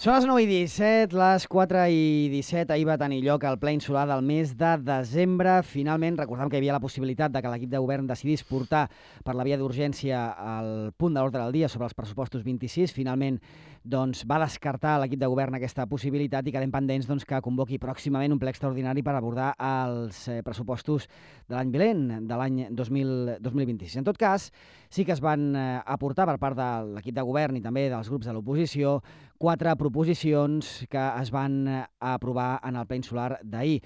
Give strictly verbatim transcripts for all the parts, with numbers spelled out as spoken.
Són les nou i disset, les quatre i disset. Ahir va tenir lloc el ple insular del mes de desembre. Finalment, recordem que hi havia la possibilitat de que l'equip de govern decidís portar per la via d'urgència el punt de l'ordre del dia sobre els pressupostos vint-i-sis. Finalment, doncs, va descartar l'equip de govern aquesta possibilitat i quedem pendents doncs, que convoqui pròximament un ple extraordinari per abordar els eh, pressupostos de l'any vinent, de l'any dos mil vint-i-sis. En tot cas, sí que es van eh, aportar per part de l'equip de govern i també dels grups de l'oposició quatre proposicions que es van aprovar en el ple insular d'ahir.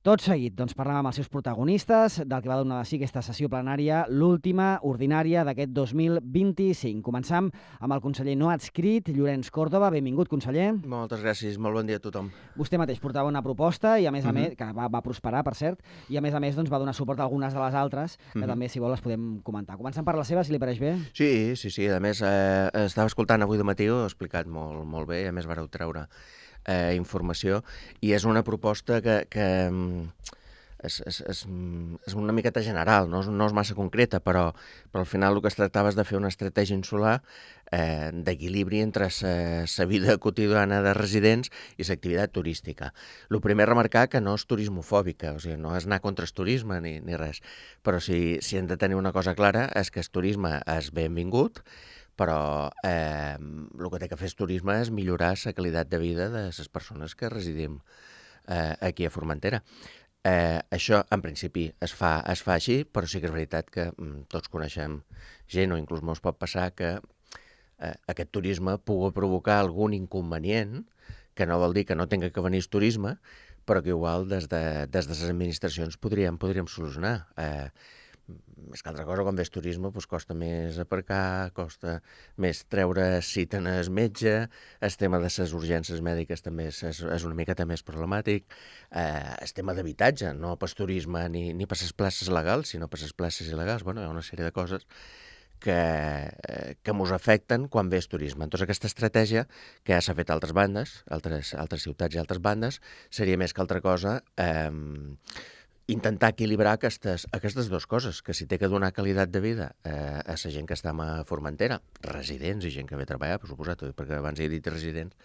Tot seguit, doncs, parlem amb els seus protagonistes del que va donar de si aquesta sessió plenària, l'última ordinària d'aquest dos mil vint-i-cinc. Començam amb el conseller no adscrit, Llorenç Córdoba. Benvingut, conseller. Moltes gràcies, molt bon dia a tothom. Vostè mateix portava una proposta i a més a uh -huh. més, que va, va prosperar, per cert, i a més a més doncs, va donar suport a algunes de les altres, que uh -huh. també, si vol, les podem comentar. Començant per la seva, si li pareix bé. Sí, sí, sí. A més, eh, estava escoltant avui de matí, ho he explicat molt, molt bé, a més vareu treure eh, informació, i és una proposta que... que És, és, és, és una miqueta general, no és, no és massa concreta, però, però al final el que es tractava és de fer una estratègia insular eh, d'equilibri entre la vida quotidiana de residents i l'activitat turística. El primer, remarcar que no és turismofòbica, o sigui, no és anar contra el turisme ni, ni res, però si, si hem de tenir una cosa clara és que el turisme és benvingut, però eh, el que té que fer el turisme és millorar la qualitat de vida de les persones que residim eh, aquí a Formentera. Eh, això, en principi, es fa, es fa així, però sí que és veritat que mm, tots coneixem gent, o inclús mos pot passar que eh, aquest turisme pugui provocar algun inconvenient, que no vol dir que no tinga que venir el turisme, però que igual des de, des de les administracions podríem, podríem solucionar. Eh, més que altra cosa, quan ves turisme, doncs costa més aparcar, costa més treure cita en el metge, el tema de les urgències mèdiques també és, és una miqueta més problemàtic, eh, el tema d'habitatge, no per turisme ni, ni per les places legals, sinó per les places il·legals. Bueno, hi ha una sèrie de coses que, eh, que mos afecten quan ves turisme. Entonces, aquesta estratègia, que ja s'ha fet a altres bandes, altres, altres ciutats i altres bandes, seria més que altra cosa... Eh, intentar equilibrar aquestes, aquestes dues coses, que si té que donar qualitat de vida eh, a la gent que està a Formentera, residents i gent que ve a treballar, per suposat, perquè abans he dit residents,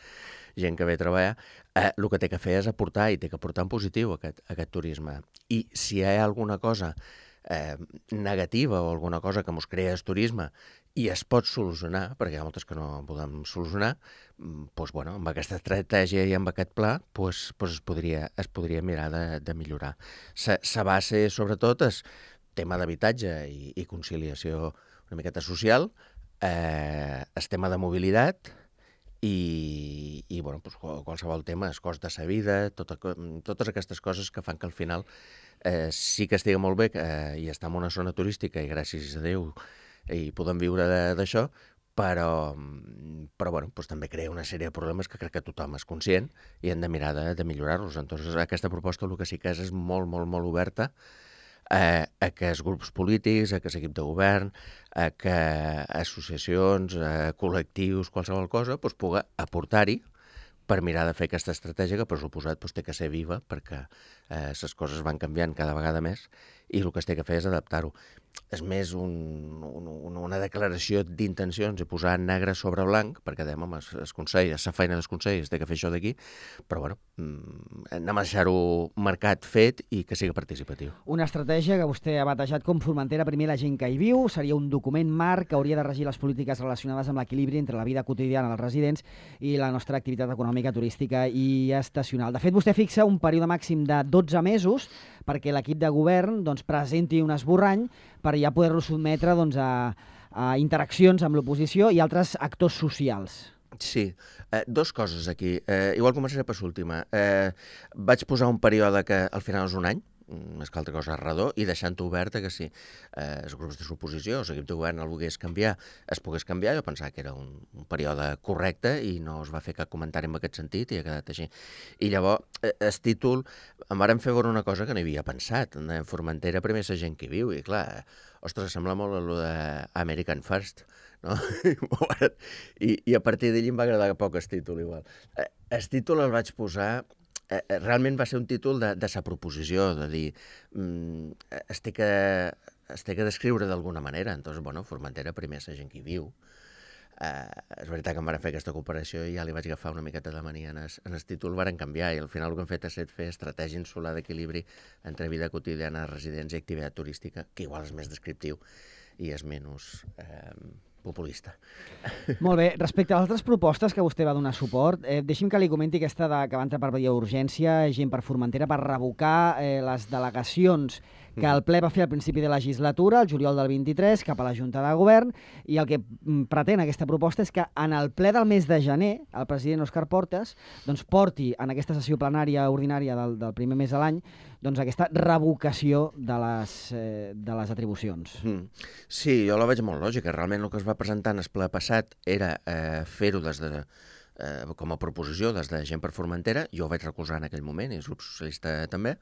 gent que ve a treballar, eh, el que té que fer és aportar, i té que aportar en positiu aquest, aquest turisme. I si hi ha alguna cosa eh, negativa o alguna cosa que ens crea el turisme i es pot solucionar, perquè hi ha moltes que no podem solucionar, doncs, bueno, amb aquesta estratègia i amb aquest pla doncs, doncs es, podria, es podria mirar de, de millorar. La base, sobretot, és tema d'habitatge i, i conciliació una miqueta social, eh, el tema de mobilitat i, i bueno, doncs, qualsevol tema, el cost de la vida, tot, totes aquestes coses que fan que al final eh, sí que estigui molt bé eh, i està en una zona turística i gràcies a Déu i podem viure d'això, però, però bueno, doncs també crea una sèrie de problemes que crec que tothom és conscient i hem de mirar de, de millorar-los. Entonces, aquesta proposta el que sí que és és molt, molt, molt oberta eh, a que els grups polítics, a que l'equip de govern, a que associacions, a col·lectius, qualsevol cosa, doncs, pugui aportar-hi per mirar de fer aquesta estratègia que, per suposat, doncs, té que ser viva perquè eh, les coses van canviant cada vegada més i el que es té que fer és adaptar-ho. És més un, un, una declaració d'intencions i posar negre sobre blanc, perquè dèiem, home, el Consell, la feina dels consells té que fer això d'aquí, però bueno, anem a deixar-ho marcat, fet i que sigui participatiu. Una estratègia que vostè ha batejat com Formentera primer la gent que hi viu, seria un document marc que hauria de regir les polítiques relacionades amb l'equilibri entre la vida quotidiana dels residents i la nostra activitat econòmica, turística i estacional. De fet, vostè fixa un període màxim de dotze mesos perquè l'equip de govern doncs, presenti un esborrany per ja poder-lo sotmetre doncs, a, a interaccions amb l'oposició i altres actors socials. Sí, eh, dos coses aquí. Eh, igual començaré per l'última. Eh, vaig posar un període que al final és un any, més que altra cosa redó, i deixant-ho oberta que si eh, els grups de l'oposició o l'equip de govern el volgués canviar, es pogués canviar. Jo pensava que era un, un període correcte i no es va fer cap comentari en aquest sentit i ha quedat així. I llavors, eh, el títol, em varen fer veure una cosa que no hi havia pensat. En Formentera primer la gent que hi viu i clar, ostres, sembla molt allò d'American First, no? I, i a partir d'allí em va agradar poc el títol igual. Eh, el títol el vaig posar... Eh, realment va ser un títol de, de sa proposició, de dir, mm, es té que, es té que descriure d'alguna manera. Entonces, bueno, Formentera primer és la gent que hi viu, Eh, és veritat que em van fer aquesta cooperació i ja li vaig agafar una miqueta de mania en el, en el títol, van canviar i al final el que hem fet ha estat fer estratègia insular d'equilibri entre vida quotidiana, residència i activitat turística, que igual és més descriptiu i és menys eh, populista. Molt bé. Respecte a les altres propostes que vostè va donar suport, eh, deixi'm que li comenti aquesta de, que va entrar per via d'urgència, gent per Formentera, per revocar eh, les delegacions que el ple va fer al principi de legislatura, el juliol del vint-i-tres, cap a la Junta de Govern, i el que pretén aquesta proposta és que en el ple del mes de gener, el president Òscar Portas doncs, porti en aquesta sessió plenària ordinària del, del primer mes de l'any doncs, aquesta revocació de les, eh, de les atribucions. Mm. Sí, jo la veig molt lògica. Realment el que es va presentar en el ple passat era eh, fer-ho des de, eh, com a proposició des de Gent per Formentera. Jo ho vaig recolzar en aquell moment i el grup socialista també.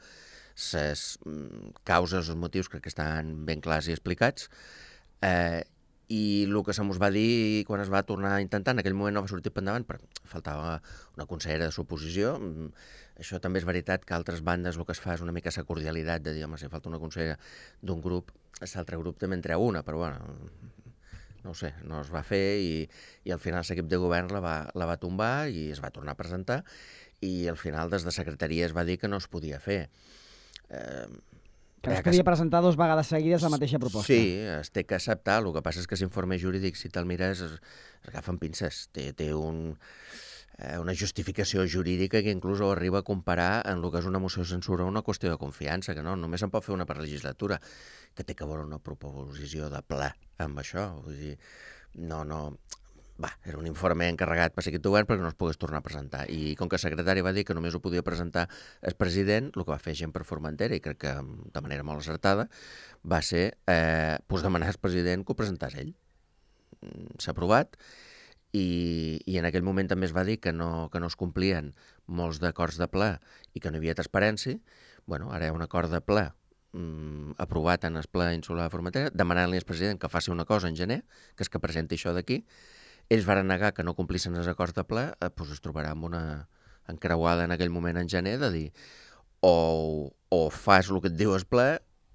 Les causes, els motius crec que estan ben clars i explicats, eh, i el que se mos va dir quan es va tornar a intentar, en aquell moment no va sortir per endavant, però faltava una consellera de suposició. Això també és veritat que a altres bandes el que es fa és una mica la cordialitat de dir, home, si falta una consellera d'un grup, l'altre grup també en treu una, però bueno, no ho sé, no es va fer i, i al final l'equip de govern la va, la va tombar i es va tornar a presentar i al final des de secretaria es va dir que no es podia fer. Eh, que es podia presentar dos vegades seguides la mateixa proposta. Sí, es té que acceptar. El que passa és que l'informe jurídic, si te'l mires, es, es agafen pinces. Té, té un, eh, una justificació jurídica que inclús ho arriba a comparar en el que és una moció de censura una qüestió de confiança, que no, només se'n pot fer una per legislatura, que té que veure una proposició de ple amb això. Vull dir, no, no... Va, era un informe encarregat per l'equip de govern perquè no es pogués tornar a presentar. I com que el secretari va dir que només ho podia presentar el president, el que va fer Gent per Formentera, i crec que de manera molt acertada, va ser eh, pues demanar al president que ho presentés ell. S'ha aprovat i, i en aquell moment també es va dir que no, que no es complien molts d'acords de ple i que no hi havia transparència. Bueno, ara hi ha un acord de ple mm, aprovat en el ple insular de Formentera, demanant-li al president que faci una cosa en gener, que és que presenti això d'aquí. Ells van negar que no complissin els acords de ple, eh, doncs es trobarà amb una encreuada en aquell moment en gener de dir o, o fas el que et diu el ple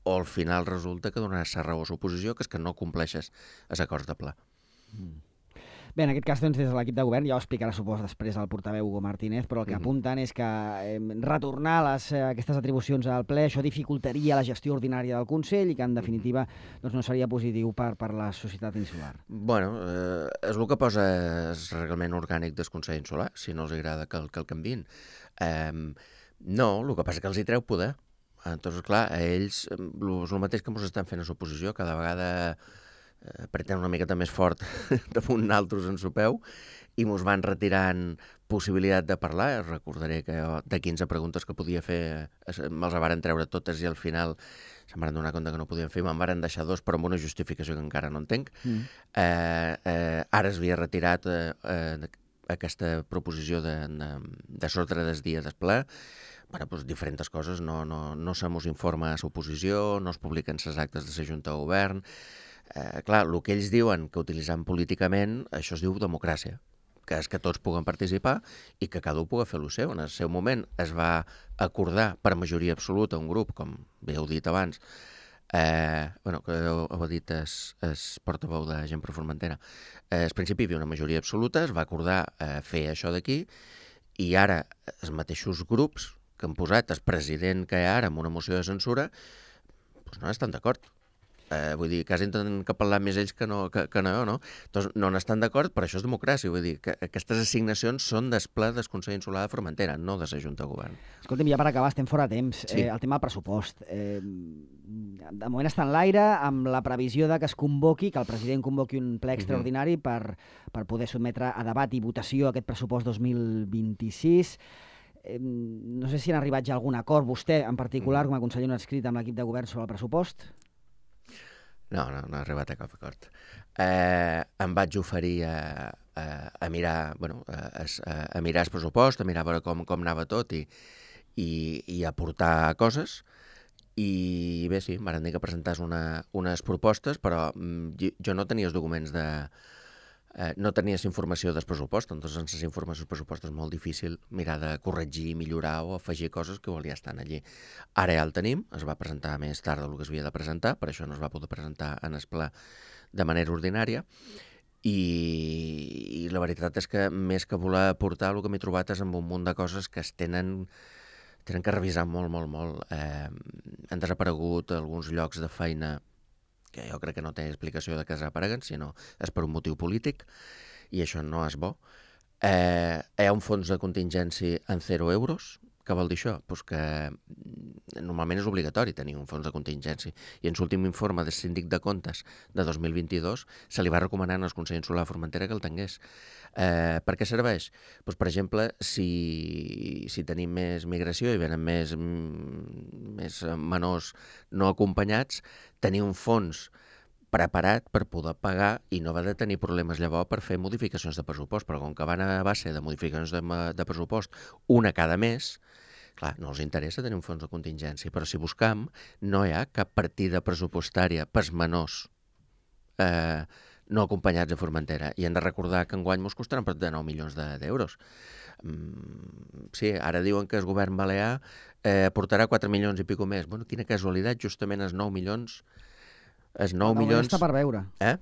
o al final resulta que donaràs la raó a l'oposició, que és que no compleixes els acords de ple. Mm. Bé, en aquest cas, doncs, des de l'equip de govern, ja ho explicarà, suposo, després el portaveu Hugo Martínez, però el que mm-hmm. apunten és que eh, retornar les, eh, aquestes atribucions al ple, això dificultaria la gestió ordinària del Consell i que, en definitiva, doncs, no seria positiu per, per la societat insular. Bueno, eh, és el que posa el reglament orgànic del Consell Insular, si no els agrada que el, que el canviïn. Eh, no, el que passa és que els hi treu poder. Entonces, clar, a ells és el mateix que ens estan fent a l'oposició, cada vegada apretem una miqueta més fort damunt naltros en sopeu i mos van retirant possibilitat de parlar. Recordaré que de quinze preguntes que podia fer me'ls varen treure totes i al final se'm van donar compte que no podien fer, me'n varen deixar dos però amb una justificació que encara no entenc. Mm. Eh, eh, ara es havia retirat eh, eh, aquesta proposició de, de, de sordre des dia del ple. Bueno, doncs diferents coses, no, no, no se mos informa a l'oposició, no es publiquen les actes de la Junta de Govern. Eh, clar, el que ells diuen que utilitzant políticament, això es diu democràcia, que és que tots puguen participar i que cada un pugui fer el seu. En el seu moment es va acordar per majoria absoluta un grup, com bé heu dit abans, eh, bueno, que heu, heu dit el, el portaveu de Gent per Formentera, eh, al principi hi havia una majoria absoluta, es va acordar eh, fer això d'aquí i ara els mateixos grups que han posat el president que hi ha ara amb una moció de censura doncs no estan d'acord. Eh, vull dir, quasi tenen que parlar més ells que no, que, que no, no? Doncs no n'estan d'acord, però això és democràcia. Vull dir, que aquestes assignacions són del ple del Consell Insular de Formentera, no de la Junta de Govern. Escolta'm, ja per acabar, estem fora de temps. Sí. Eh, el tema del pressupost. Eh, de moment està en l'aire, amb la previsió de que es convoqui, que el president convoqui un ple extraordinari uh-huh. per, per poder sotmetre a debat i votació aquest pressupost dos mil vint-i-sis. Eh, no sé si han arribat ja a algun acord, vostè en particular, uh-huh. com a conseller no adscrit amb l'equip de govern sobre el pressupost. No, no, no ha arribat a cap acord. Eh, em vaig oferir a, a, a mirar, bueno, a, a, a mirar el pressupost, a mirar a veure com, com anava tot i, i, i aportar coses. I bé, sí, em van dir que presentàs una, unes propostes, però jo no tenia els documents de... Eh, no tenies informació del pressupost, doncs sense les informacions del pressupost és molt difícil mirar de corregir, millorar o afegir coses que ja estan allí. Ara ja el tenim, es va presentar més tard del que es havia de presentar, per això no es va poder presentar en el ple de manera ordinària, i, i la veritat és que més que voler aportar, el que m'he trobat és amb un munt de coses que es tenen, tenen que revisar molt, molt, molt. Eh, han desaparegut alguns llocs de feina que jo crec que no té explicació de que desapareguen, sinó és per un motiu polític, i això no és bo. Eh, hi ha un fons de contingència en zero euros. Què vol dir això? Pues que normalment és obligatori tenir un fons de contingència, i en l'últim informe del síndic de comptes de dos mil vint-i-dos se li va recomanar al Consell Insular de Formentera que el tingués. Eh, per què serveix? Pues, per exemple, si, si tenim més migració i venen més, més menors no acompanyats, tenir un fons preparat per poder pagar i no va de tenir problemes llavors per fer modificacions de pressupost, però com que van a base de modificacions de, de pressupost una cada mes, clar, no els interessa tenir un fons de contingència, però si buscam no hi ha cap partida pressupostària pels menors eh, no acompanyats a Formentera, i hem de recordar que enguany ens costaran prop de nou milions d'euros. Mm, sí, ara diuen que el govern balear eh, portarà quatre milions i pico més. Bueno, quina casualitat, justament els nou milions els nou no, milions... està per veure. Eh?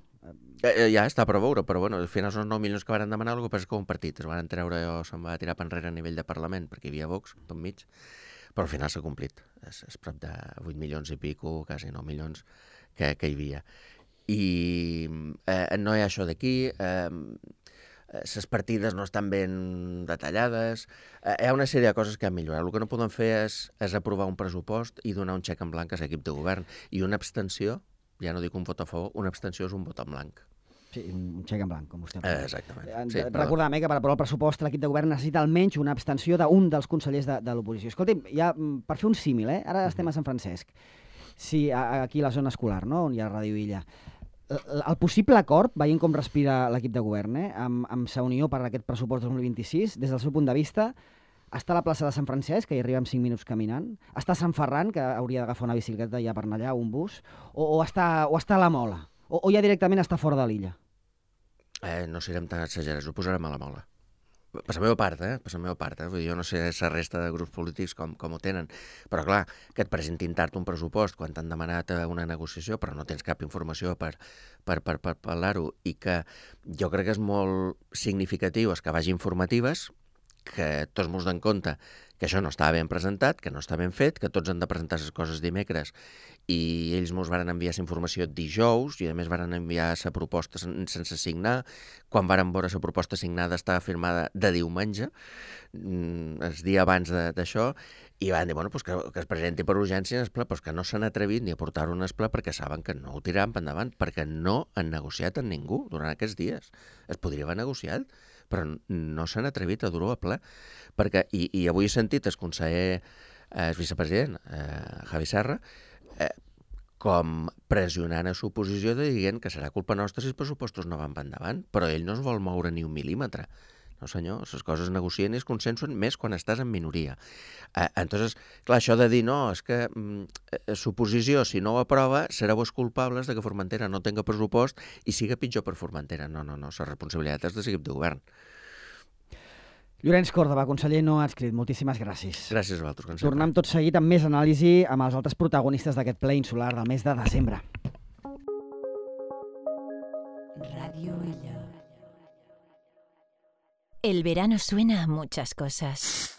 Eh, ja està per veure, però bueno, al final són els nou milions que van demanar, el que passa és que un partit es van treure o se'n va tirar per enrere a nivell de Parlament, perquè hi havia Vox per mig, però al final s'ha complit. És, és prop de vuit milions i pico, quasi nou milions que, que hi havia. I eh, no hi ha això d'aquí, eh, les partides no estan ben detallades, eh, hi ha una sèrie de coses que han millorat. El que no podem fer és, és aprovar un pressupost i donar un xec en blanc a l'equip de govern, i una abstenció, ja no dic un vot a favor, una abstenció és un vot en blanc. Sí, un xec en blanc, com vostè ha dit. Eh, exactament. Sí, recordem eh, que per aprovar el pressupost l'equip de govern necessita almenys una abstenció d'un dels consellers de, de l'oposició. Escolti'm, ja, per fer un símil, eh? Ara estem a Sant Francesc, sí, aquí a la zona escolar, no?, on hi ha Ràdio Illa. El, el possible acord, veient com respira l'equip de govern, eh, amb, amb sa unió per aquest pressupost dos mil vint-i-sis, des del seu punt de vista, està a la plaça de Sant Francesc, que hi arriba en cinc minuts caminant, està a Sant Ferran, que hauria d'agafar una bicicleta ja per anar allà, un bus, o, o, està, o està a la Mola, o, o ja directament està fora de l'illa? Eh, no serem tan exagerats, ho posarem a la Mola. Per la meva part, eh? Per la meva part, eh? Vull dir, jo no sé la resta de grups polítics com, com ho tenen, però clar, que et presentin tard un pressupost quan t'han demanat una negociació, però no tens cap informació per, per, per, per parlar-ho, i que jo crec que és molt significatiu és que vagi informatives, que tots mos den compte que això no estava ben presentat, que no està ben fet, que tots han de presentar les coses dimecres, i ells mos van enviar la informació dijous, i a més van enviar la proposta sense signar. Quan van veure la proposta signada estava firmada de diumenge, el dia abans d'això, i van dir, bueno, pues que, que es presenti per urgència en el ple, pues que no s'han atrevit ni a portar-ho en el ple perquè saben que no ho tiraran per endavant, perquè no han negociat amb ningú durant aquests dies. Es podria haver negociat, però no s'han atrevit a dur-ho a ple. Perquè, i, i avui he sentit el conseller, eh, el vicepresident, eh, Javi Serra, eh, com pressionant a l'oposició dient que serà culpa nostra si els pressupostos no van per endavant, però ell no es vol moure ni un mil·límetre. No senyor, les coses negocien i es consensuen més quan estàs en minoria. Eh, entonces, clar, això de dir no, és que eh, l'oposició, si no ho aprova, sereu els culpables de que Formentera no tenga pressupost i siga pitjor per Formentera. No, no, no, la responsabilitat és de l'equip de govern. Llorenç Còrdova, conseller no adscrit, moltíssimes gràcies. Gràcies a vosaltres, com sempre. Tornem tot seguit amb més anàlisi amb els altres protagonistes d'aquest ple insular del mes de desembre. Radio Illa. El verano suena a muchas cosas.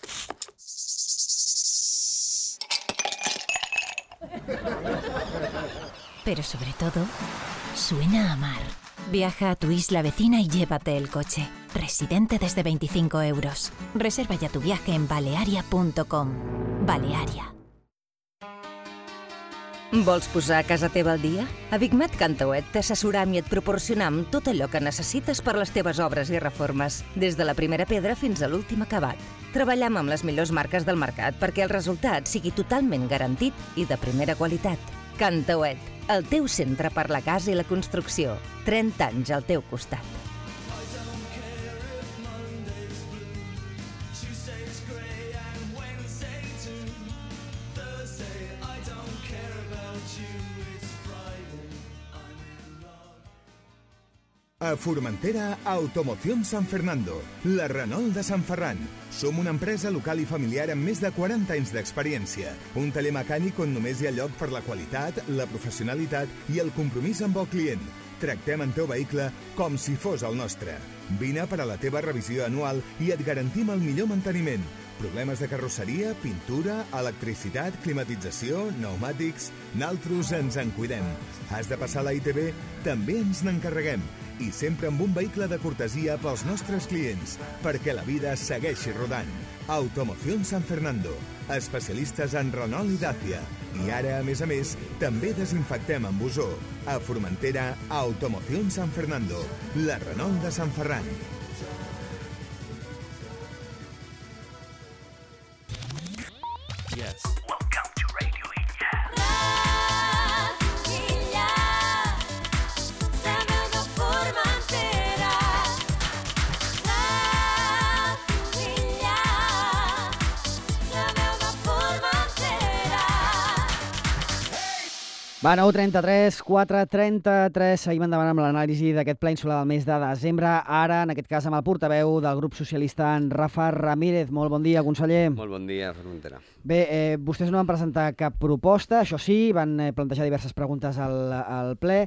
Pero sobre todo, suena a mar. Viaja a tu isla vecina y llévate el coche. Residente desde veinticinco euros. Reserva ya tu viaje en balearia punto com. Balearia. Vols posar a casa teva al dia? A Bigmat Cantauet t'assessoram i et proporcionam tot allò que necessites per les teves obres i reformes, des de la primera pedra fins a l'últim acabat. Treballem amb les millors marques del mercat perquè el resultat sigui totalment garantit i de primera qualitat. Cantauet, el teu centre per la casa i la construcció. trenta anys al teu costat. A Formentera, Automoción San Fernando, la Renault de Sant Ferran. Som una empresa local i familiar amb més de quaranta anys d'experiència. Un taller mecànic on només hi ha lloc per la qualitat, la professionalitat i el compromís amb el client. Tractem el teu vehicle com si fos el nostre. Vine per a la teva revisió anual i et garantim el millor manteniment. Problemes de carrosseria, pintura, electricitat, climatització, pneumàtics... Naltros ens en cuidem. Has de passar a la I T B? També ens n'encarreguem. I sempre amb un vehicle de cortesia pels nostres clients, perquè la vida segueixi rodant. Automoción San Fernando, especialistes en Renault i Dacia. I ara, a més a més, també desinfectem amb ozó. A Formentera, Automoción San Fernando, la Renault de Sant Ferran. Yes. Welcome to Radio Illa. Va, nou trenta-tres, quatre trenta-tres, seguim endavant amb l'anàlisi d'aquest ple insular del mes de desembre, ara, en aquest cas, amb el portaveu del grup socialista, en Rafa Ramírez. Molt bon dia, conseller. Molt bon dia, Formentera. Bé, eh, vostès no van presentar cap proposta, això sí, van eh, plantejar diverses preguntes al, al ple.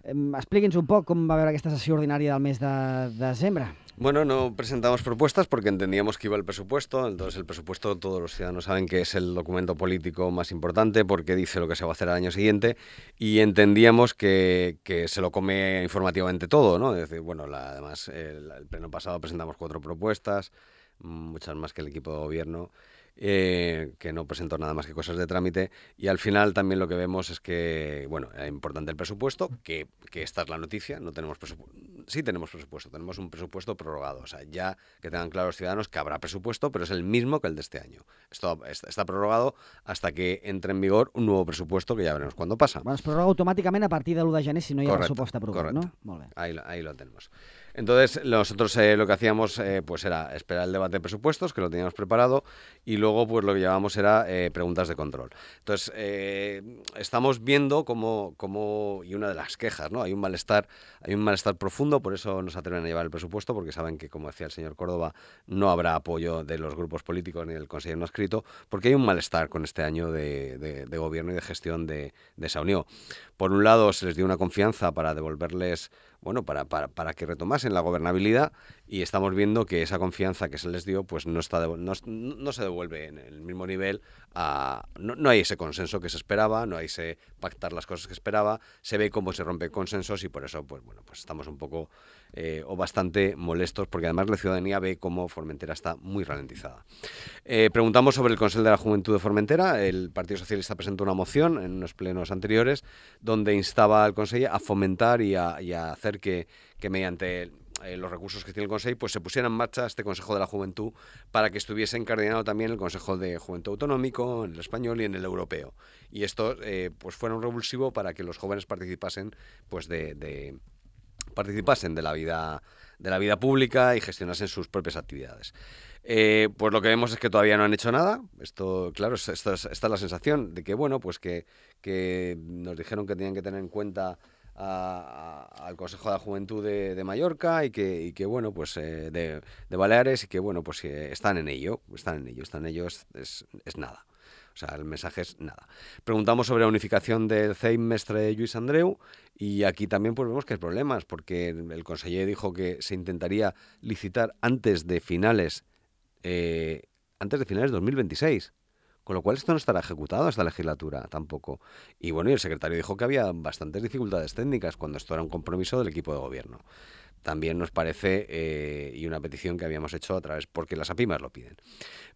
Eh, Expliqui'ns un poc com va veure aquesta sessió ordinària del mes de desembre. Bueno, no presentamos propuestas porque entendíamos que iba el presupuesto. Entonces el presupuesto, todos los ciudadanos saben que es el documento político más importante porque dice lo que se va a hacer al año siguiente, y entendíamos que, que se lo come informativamente todo, ¿no? Es decir, bueno, la, además el, el pleno pasado presentamos cuatro propuestas, muchas más que el equipo de gobierno, eh, que no presentó nada más que cosas de trámite, y al final también lo que vemos es que, bueno, es importante el presupuesto, que, que esta es la noticia, no tenemos presupuesto, sí tenemos presupuesto, tenemos un presupuesto prorrogado, o sea, ya que tengan claro los ciudadanos que habrá presupuesto, pero es el mismo que el de este año. Esto está, está prorrogado hasta que entre en vigor un nuevo presupuesto, que ya veremos cuándo pasa. Bueno, es prorroga automáticamente a partir del uno de gener si no hi ha Correcto, pressupost aprovat, correcto. ¿no? Molt bé. Ahí, lo- ahí lo tenemos. Entonces, nosotros eh, lo que hacíamos eh, pues era esperar el debate de presupuestos, que lo teníamos preparado, y luego pues lo que llevábamos era eh, preguntas de control. Entonces, eh, estamos viendo cómo, cómo, y una de las quejas, ¿no? Hay un malestar, hay un malestar profundo, por eso no se atreven a llevar el presupuesto, porque saben que, como decía el señor Córdoba, no habrá apoyo de los grupos políticos ni del Consejo no escrito, porque hay un malestar con este año de, de, de gobierno y de gestión de, de esa unión. Por un lado, se les dio una confianza para devolverles, bueno, para, para, para que retomasen la gobernabilidad, y estamos viendo que esa confianza que se les dio pues no está devo- no, no se devuelve en el mismo nivel. A, no, no hay ese consenso que se esperaba, no hay ese pactar las cosas que esperaba, se ve cómo se rompen consensos, y por eso pues bueno, pues estamos un poco eh, o bastante molestos, porque además la ciudadanía ve cómo Formentera está muy ralentizada. Eh, preguntamos sobre el Consell de la Juventud de Formentera. El Partido Socialista presentó una moción en unos plenos anteriores donde instaba al Consell a fomentar y a, y a hacer que, que mediante eh, los recursos que tiene el Consell pues se pusiera en marcha este Consejo de la Juventud, para que estuviese encardinado también el Consejo de Juventud Autonómico, en el español y en el europeo. Y esto eh, pues fuera un revulsivo para que los jóvenes participasen pues de... de participasen de la vida de la vida pública y gestionasen sus propias actividades. Eh, pues lo que vemos es que todavía no han hecho nada. Esto, claro, esta es, esta es la sensación de que, bueno, pues que, que nos dijeron que tenían que tener en cuenta a- a- al Consejo de la Juventud de, de Mallorca y que, y que bueno, pues eh, de, de Baleares, y que, bueno, pues eh, están en ello, están en ello, están en ello, es, es, es nada. O sea, el mensaje es nada. Preguntamos sobre la unificación del C E I M Mestre Lluís Andreu, y aquí también pues vemos que hay problemas, porque el conseller dijo que se intentaría licitar antes de finales eh, antes de finales de dos mil veintiséis. Con lo cual esto no estará ejecutado esta legislatura tampoco. Y bueno, y el secretario dijo que había bastantes dificultades técnicas, cuando esto era un compromiso del equipo de gobierno. También nos parece, eh, y una petición que habíamos hecho a través, porque las APIMAs lo piden.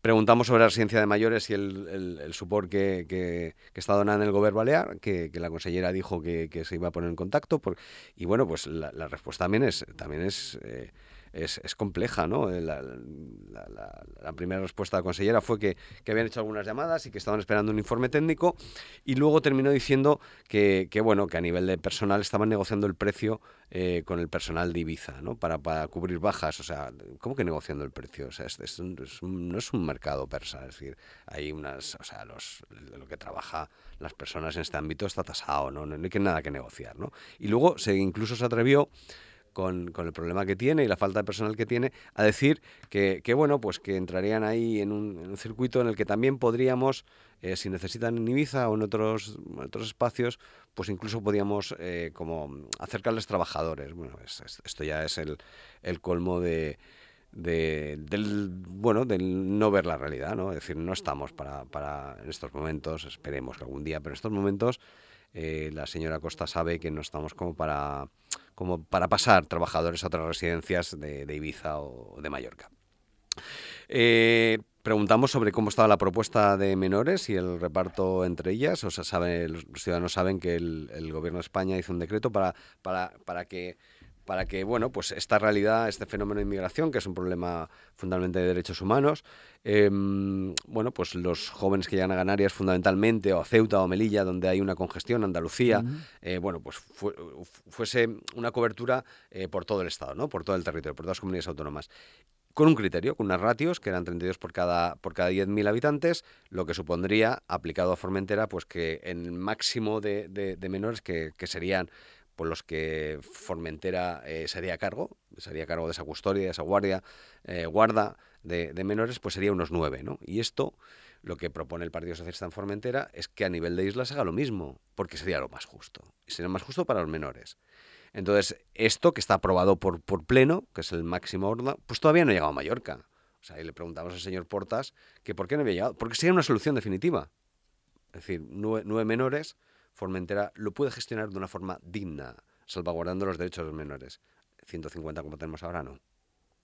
Preguntamos sobre la residencia de mayores y el, el, el support que, que, que está donando el Gobierno Balear, que, que la consellera dijo que, que se iba a poner en contacto. Por, y bueno, pues la, la respuesta también es, también es, eh, es, es compleja, ¿no? La, la, la, la primera respuesta de la consellera fue que, que habían hecho algunas llamadas y que estaban esperando un informe técnico, y luego terminó diciendo que, que bueno, que a nivel de personal estaban negociando el precio eh, con el personal de Ibiza, ¿no? Para, para cubrir bajas. O sea, ¿cómo que negociando el precio? O sea, es, es un, es un, no es un mercado persa, es decir, hay unas, o sea, los, lo que trabaja las personas en este ámbito está tasado, ¿no? No, no hay que nada que negociar, ¿no? Y luego se incluso se atrevió con, con el problema que tiene y la falta de personal que tiene, a decir que, que bueno, pues que entrarían ahí en un, en un circuito en el que también podríamos, eh, si necesitan en Ibiza o en otros, en otros espacios, pues incluso podíamos eh, como acercarles trabajadores. Bueno, es, es, esto ya es el, el colmo de... De, del bueno del no ver la realidad, ¿no? Es decir, no estamos para, para en estos momentos, esperemos que algún día, pero en estos momentos eh, la señora Costa sabe que no estamos como para como para pasar trabajadores a otras residencias de, de Ibiza o de Mallorca. Eh, preguntamos sobre cómo estaba la propuesta de menores y el reparto entre ellas. O sea, sabe, los ciudadanos saben que el, el Gobierno de España hizo un decreto para, para, para que para que, bueno, pues esta realidad, este fenómeno de inmigración, que es un problema fundamentalmente de derechos humanos, eh, bueno, pues los jóvenes que llegan a Canarias fundamentalmente, o a Ceuta o a Melilla, donde hay una congestión, Andalucía, uh-huh. eh, bueno, pues fu- fuese una cobertura eh, por todo el Estado, ¿no? Por todo el territorio, por todas las comunidades autónomas. Con un criterio, con unas ratios, que eran treinta y dos por cada, por cada diez mil habitantes, lo que supondría, aplicado a Formentera, pues que en el máximo de, de, de menores que, que serían por los que Formentera eh, sería a cargo, sería a cargo de esa custodia, de esa guardia, eh, guarda de, de menores, pues sería unos nueve, ¿no? Y esto, lo que propone el Partido Socialista en Formentera, es que a nivel de islas haga lo mismo, porque sería lo más justo. Y sería más justo para los menores. Entonces, esto que está aprobado por, por pleno, que es el máximo orden, pues todavía no ha llegado a Mallorca. O sea, ahí le preguntamos al señor Portas que por qué no había llegado. Porque sería una solución definitiva. Es decir, nueve, nueve menores... Formentera lo puede gestionar de una forma digna, salvaguardando los derechos de los menores. ciento cincuenta como tenemos ahora, no.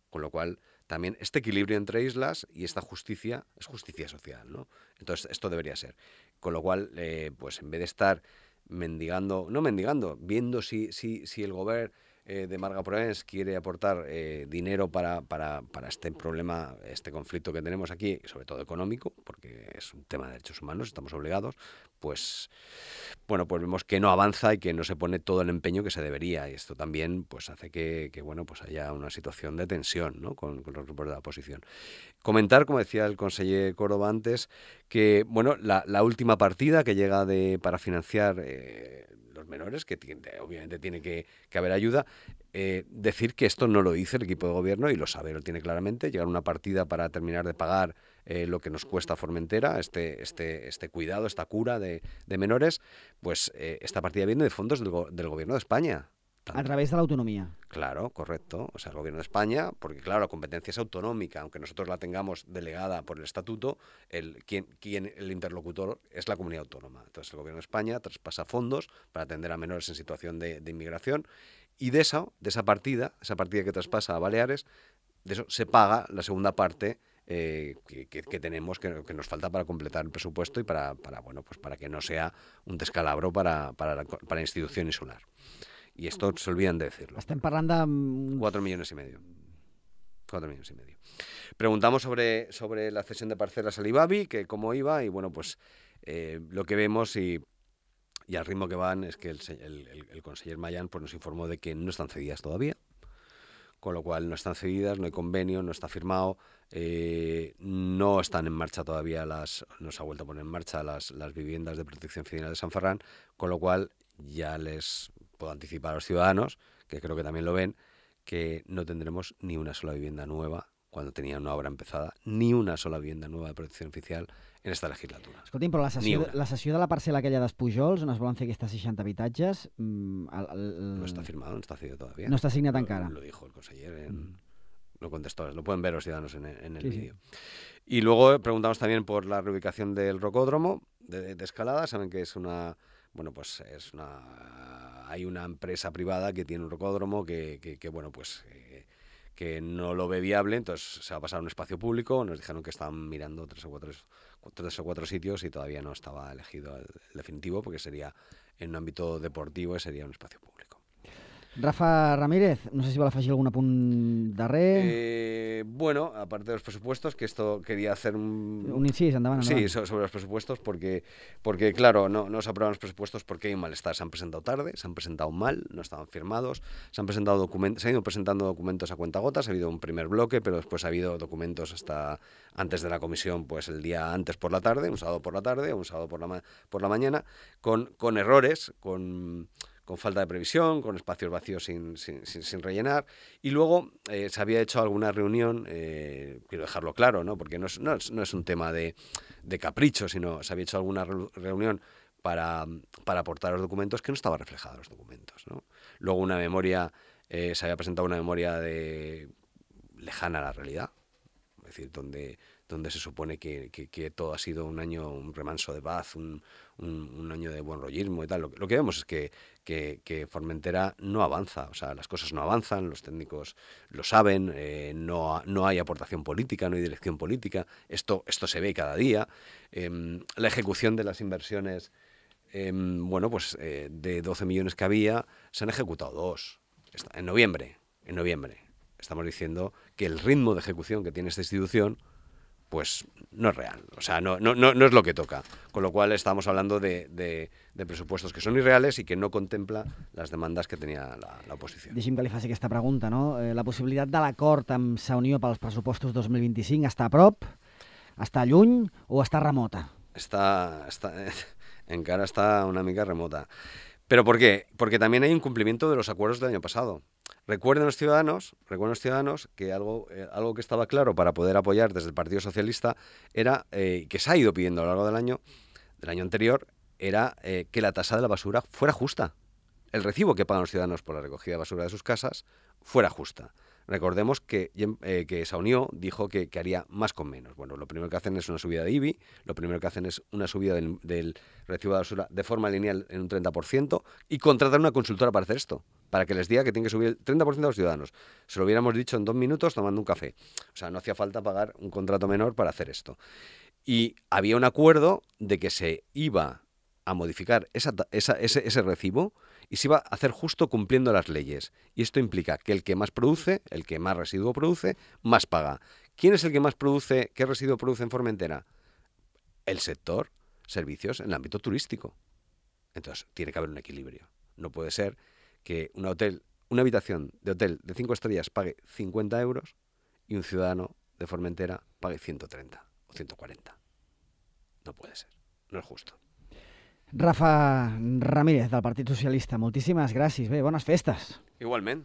Con lo cual, también este equilibrio entre islas y esta justicia es justicia social, ¿no? Entonces, esto debería ser. Con lo cual, eh, pues en vez de estar mendigando, no mendigando, viendo si, si, si el gobierno eh, de Marga Proens quiere aportar eh, dinero para, para, para este problema, este conflicto que tenemos aquí, sobre todo económico, porque es un tema de derechos humanos, estamos obligados, pues bueno, pues vemos que no avanza y que no se pone todo el empeño que se debería, y esto también pues hace que, que bueno, pues haya una situación de tensión, ¿no? con, con los grupos de la oposición. Comentar, como decía el conseller Córdoba antes, que bueno, la, la última partida que llega de para financiar eh, los menores, que tiene, obviamente tiene que, que haber ayuda, eh, decir que esto no lo dice el equipo de gobierno y lo sabe, lo tiene claramente, llegar a una partida para terminar de pagar Eh, lo que nos cuesta Formentera, este, este, este cuidado, esta cura de, de menores, pues eh, esta partida viene de fondos del, go- del Gobierno de España. A través de la autonomía. Claro, correcto. O sea, el Gobierno de España, porque claro, la competencia es autonómica, aunque nosotros la tengamos delegada por el Estatuto, el, quien, quien, el interlocutor es la comunidad autónoma. Entonces el Gobierno de España traspasa fondos para atender a menores en situación de, de inmigración y de esa, de esa partida, esa partida que traspasa a Baleares, de eso se paga la segunda parte Eh, que, que, que tenemos, que, que nos falta para completar el presupuesto y para, para bueno, pues para que no sea un descalabro para, para, la, para la institución insular. Y esto se olvidan de decirlo. Estem parlant de... Cuatro millones y medio. Cuatro millones y medio. Preguntamos sobre, sobre la cesión de parcelas al IBABI, que cómo iba, y bueno, pues eh, lo que vemos y, y al ritmo que van es que el, el, el, el conseller Mayán pues nos informó de que no están cedidas todavía, con lo cual no están cedidas, no hay convenio, no está firmado, eh, no están en marcha todavía las, no se ha vuelto a poner en marcha las, las viviendas de protección oficial de San Ferran, con lo cual ya les puedo anticipar a los ciudadanos, que creo que también lo ven, que no tendremos ni una sola vivienda nueva cuando tenían una obra empezada, ni una sola vivienda nueva de protecció oficial en esta legislatura. Escolti'm, però la sessió, de, la sessió de la parcel·la aquella dels Pujols, on es volen fer aquestes seixanta habitatges... Mm, el, el, no està firmado, no está cedido todavía. No está signat lo, encara. Lo dijo el conseller, en, mm. lo contestó, lo pueden ver los ciudadanos en, en el sí, vídeo. Sí. Y luego preguntamos también por la reubicación del rocódromo de, de Escalada. Saben que es una... Bueno, pues es una... Hay una empresa privada que tiene un rocódromo que, que, que bueno, pues... Eh, que no lo ve viable, entonces se va a pasar a un espacio público. Nos dijeron que estaban mirando tres o cuatro, tres o cuatro sitios y todavía no estaba elegido el, el definitivo, porque sería en un ámbito deportivo y sería un espacio público. Rafa Ramírez, no sé si vol afegir algun apunt darrer. Eh, bueno, aparte de los presupuestos, que esto quería hacer un... Un incís, endavant, endavant. Sí, sobre los presupuestos, porque, porque claro, no, no se aprueban los presupuestos porque hay un malestar. Se han presentado tarde, se han presentado mal, no estaban firmados, se han presentado documentos, se han ido presentando documentos a cuentagotas, ha habido un primer bloque, pero después ha habido documentos hasta antes de la comisión, pues el día antes por la tarde, un sábado por la tarde, o un sábado por la, ma- por la mañana, con, con errores, con... con falta de previsión, con espacios vacíos sin, sin, sin, sin rellenar. Y luego eh, se había hecho alguna reunión, eh, quiero dejarlo claro, ¿no? Porque no es, no es, no es un tema de, de capricho, sino se había hecho alguna re reunión para, para aportar los documentos que no estaba reflejada en los documentos, ¿no? Luego una memoria, eh, se había presentado una memoria de lejana a la realidad, es decir, donde, donde se supone que, que, que todo ha sido un año, un remanso de paz, un, un, un año de buen rollismo y tal. Lo, lo que vemos es que, que, que Formentera no avanza, o sea, las cosas no avanzan, los técnicos lo saben, eh, no, no hay aportación política, no hay dirección política, esto, esto se ve cada día. Eh, la ejecución de las inversiones, eh, bueno, pues eh, de doce millones que había, se han ejecutado dos, en noviembre, en noviembre. Estamos diciendo que el ritmo de ejecución que tiene esta institución pues no es real, o sea, no, no, no, no es lo que toca, con lo cual estamos hablando de, de, de presupuestos que son irreales i que no contempla les demandes que tenia la, la oposició. Deixi'm que li faci aquesta pregunta, no? Eh, la possibilitat de l'acord amb Sa Unió pels pressupostos dos mil vint-i-cinc està a prop, està lluny o està remota? Está, está, encara está una mica remota. ¿Pero por qué? Porque también hay incumplimiento de los acuerdos del año pasado. Recuerden los ciudadanos, recuerden los ciudadanos que algo, eh, algo que estaba claro para poder apoyar desde el Partido Socialista era, eh, que se ha ido pidiendo a lo largo del año, del año anterior, era eh, que la tasa de la basura fuera justa. El recibo que pagan los ciudadanos por la recogida de basura de sus casas fuera justa. Recordemos que, eh, que Sa Unió dijo que, que haría más con menos. Bueno, lo primero que hacen es una subida de I B I, lo primero que hacen es una subida del, del recibo de basura de forma lineal en un treinta por ciento y contratar una consultora para hacer esto, para que les diga que tienen que subir el treinta por ciento a los ciudadanos. Se lo hubiéramos dicho en dos minutos tomando un café. O sea, no hacía falta pagar un contrato menor para hacer esto. Y había un acuerdo de que se iba a modificar esa, esa, ese, ese recibo y se iba a hacer justo cumpliendo las leyes. Y esto implica que el que más produce, el que más residuo produce, más paga. ¿Quién es el que más produce, qué residuo produce en Formentera? El sector servicios en el ámbito turístico. Entonces, tiene que haber un equilibrio. No puede ser que un hotel, una habitación de hotel de cinco estrellas pague cincuenta euros y un ciudadano de Formentera pague ciento treinta o ciento cuarenta. No puede ser. No es justo. Rafa Ramírez, del Partit Socialista, moltíssimes gràcies. Bé, bones festes. Igualment,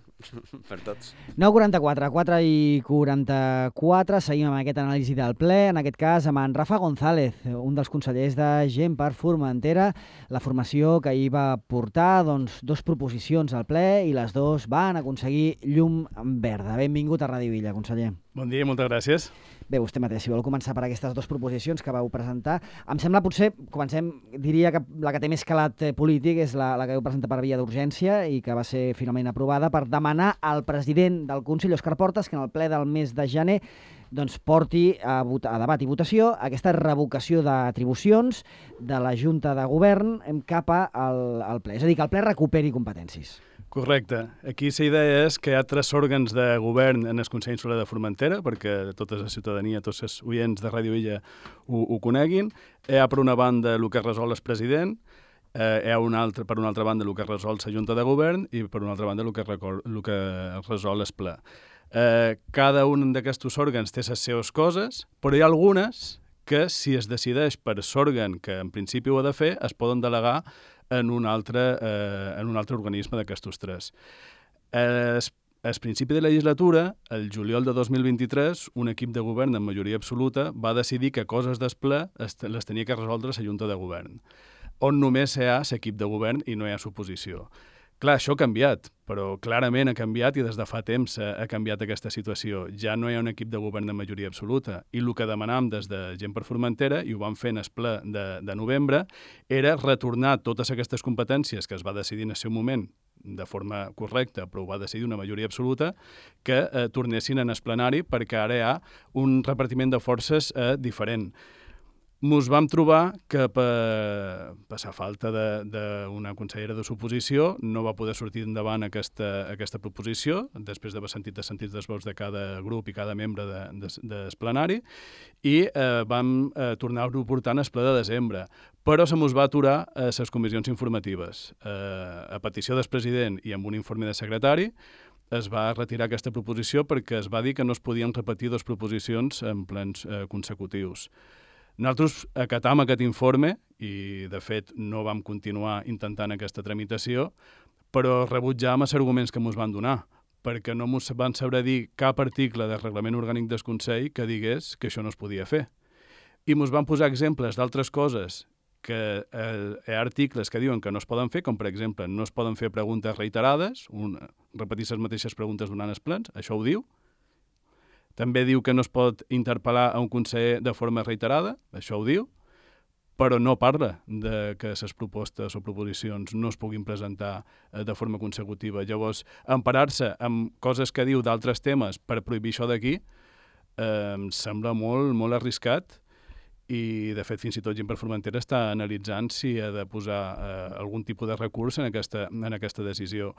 per tots. nou quaranta-quatre, quatre i quaranta-quatre, seguim amb aquest anàlisi del ple, en aquest cas amb en Rafa González, un dels consellers de Gent per Formentera, la formació que ahir va portar doncs, dos proposicions al ple i les dues van aconseguir llum verda. Benvingut a Ràdio Illa, conseller. Bon dia, moltes gràcies. Bé, vostè mateix, si vol començar per aquestes dues proposicions que vau presentar. Em sembla, potser, comencem, diria que la que té més calat polític és la, la que vau presentar per via d'urgència i que va ser finalment aprovada per demanar al president del Consell, Òscar Portas, que en el ple del mes de gener doncs, porti a, a debat i votació aquesta revocació d'atribucions de la Junta de Govern cap al, al ple. És a dir, que el ple recuperi competències. Correcte. Aquí la idea és que hi ha tres òrgans de govern en el Consell Insular de Formentera, perquè tota la ciutadania, tots els oients de Ràdio Illa ho, ho coneguin. Hi ha, per una banda, el que resol el president, eh, hi ha una altra, per una altra banda, el que resol la Junta de Govern i, per una altra banda, el que, record, el que resol el ple. Eh, cada un d'aquests òrgans té les seves coses, però hi ha algunes que, si es decideix per l'òrgan que en principi ho ha de fer, es poden delegar en un altre, eh, en un altre organisme d'aquestos tres. Eh, al principi de la legislatura, el juliol de dos mil vint-i-tres, un equip de govern en majoria absoluta va decidir que coses del ple les tenia que resoldre la Junta de Govern, on només hi ha l'equip de govern i no hi ha suposició. Clar, això ha canviat, però clarament ha canviat i des de fa temps ha canviat aquesta situació. Ja no hi ha un equip de govern de majoria absoluta i el que demanàvem des de Gent per Formentera, i ho vam fer en el ple de, de novembre, era retornar totes aquestes competències que es va decidir en el seu moment de forma correcta, però ho va decidir una majoria absoluta, que eh, tornessin en el plenari perquè ara hi ha un repartiment de forces eh, diferent. Mos vam trobar que per, per la falta d'una consellera de suposició no va poder sortir endavant aquesta, aquesta proposició, després d'haver sentit els sentits dels vots de cada grup i cada membre de, de, del plenari, i eh, vam eh, tornar-ho portant al ple de desembre. Però se mos va aturar a les comissions informatives. Eh, a petició del president i amb un informe de secretari, es va retirar aquesta proposició perquè es va dir que no es podien repetir dues proposicions en plens eh, consecutius. Nosaltres acatam aquest informe i, de fet, no vam continuar intentant aquesta tramitació. però rebutjàvem els arguments que ens van donar, perquè no ens van saber dir cap article del reglament orgànic del Consell que digués que això no es podia fer. I ens van posar exemples d'altres coses que eh, hi ha articles que diuen que no es poden fer, com per exemple no es poden fer preguntes reiterades, un, repetir les mateixes preguntes durant els plens, això ho diu. També diu que no es pot interpel·lar a un conseller de forma reiterada, això ho diu, però no parla de que les propostes o proposicions no es puguin presentar de forma consecutiva. Llavors, emparar-se amb coses que diu d'altres temes per prohibir això d'aquí eh, em sembla molt, molt arriscat i, de fet, fins i tot Gent per Formentera està analitzant si ha de posar eh, algun tipus de recurs en aquesta, en aquesta decisió.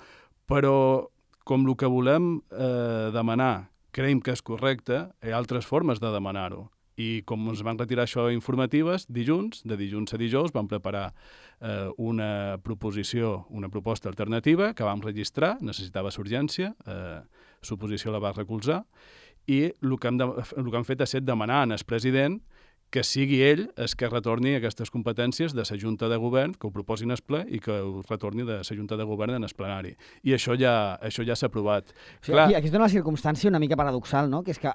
Però, com el que volem eh, demanar creiem que és correcte, hi ha altres formes de demanar-ho. I com ens van retirar això informatives, dilluns, de dilluns a dijous, vam preparar eh, una proposició, una proposta alternativa que vam registrar, necessitava urgència, eh, l'oposició la va recolzar, i el que, hem de, el que hem fet ha estat demanar al president que sigui ell el que retorni aquestes competències de la Junta de Govern, que ho proposin al ple i que ho retorni de la Junta de Govern en el plenari. I això ja, això ja s'ha aprovat. O sigui, aquí, aquí es dona la circumstància una mica paradoxal, no? Que és que